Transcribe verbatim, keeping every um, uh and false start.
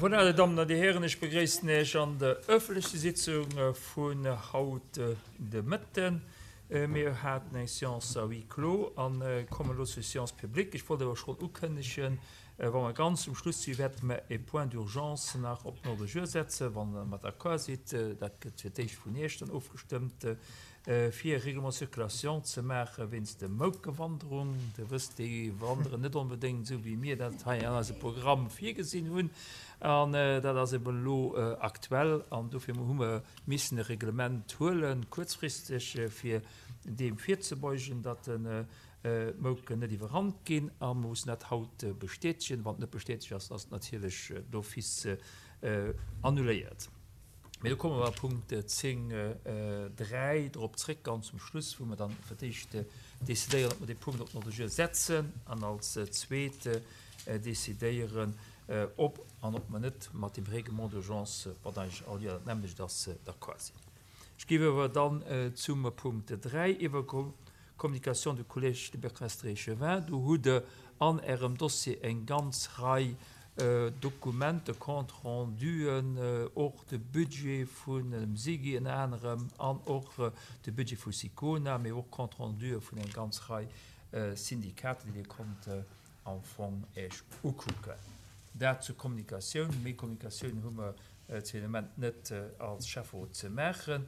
Voilà, Dir Dammen an Dir Hären, ech begréissen Iech an der öffentlecher Sitzung vun haut de Mëtten. Mir haten eng Séance à huis clos a kommen elo zur Séance publique. Ech wollt awer schonn ukënnegen, wa mer ganz um Schluss sinn, wäerte mer e Point d'urgence nach op den Ordre du jour setzen, wann Der mat d'accord sidd. Dat gëtt fir d'éischt vun Iech dann ofgestëmmt, fir e Règlement de circulation ze maache wéinst der Moukewanderung. Dir wësst, déi wanderen net onbedéngt esou, wéi mir dat hei an eisem Programm virgesinn hunn. An dat ass eben elo aktuell an dofir hu mer missen e Reglement huelen, kuerzfristeg, fir deem virzebeugen, datt d'Mouken net iwwerrannt ginn. A mer mussen dat haut bestätegen. Wann et net bestätegt ass, ass et natierlech d'office annuléiert. Mee do komme mer a Punkt zéng dräi drop zréck, ganz zum Schluss, wou mer dann fir d'éischt decidéieren, ob mer dee Punkt op den Ordre du jour setzen an als zweet decidéieren, ob an ob mer net mat dem Règlement d'urgence, wat eigentlech all Joer dat nämmlecht ass, d'accord sinn. Ech géif awer dann zum Punkt dräi iwwergoen, Communication du Collège des Bourgmestres et Échevins. Do hutt Der an Ärem Dossier eng ganz Rei Dokumenter, Compte-renduen, och de Budget vun dem SIGI ënner anerem an och de Budget vu SICONA, mee och Compte-rendue vun eng ganz Rei Syndikater, déi Dir konnt am Fong Iech ukucken. Dat zur Kommunikatioun. Méi Kommunikatioun hu mer zu deem Moment net als Schäfferot ze maachen.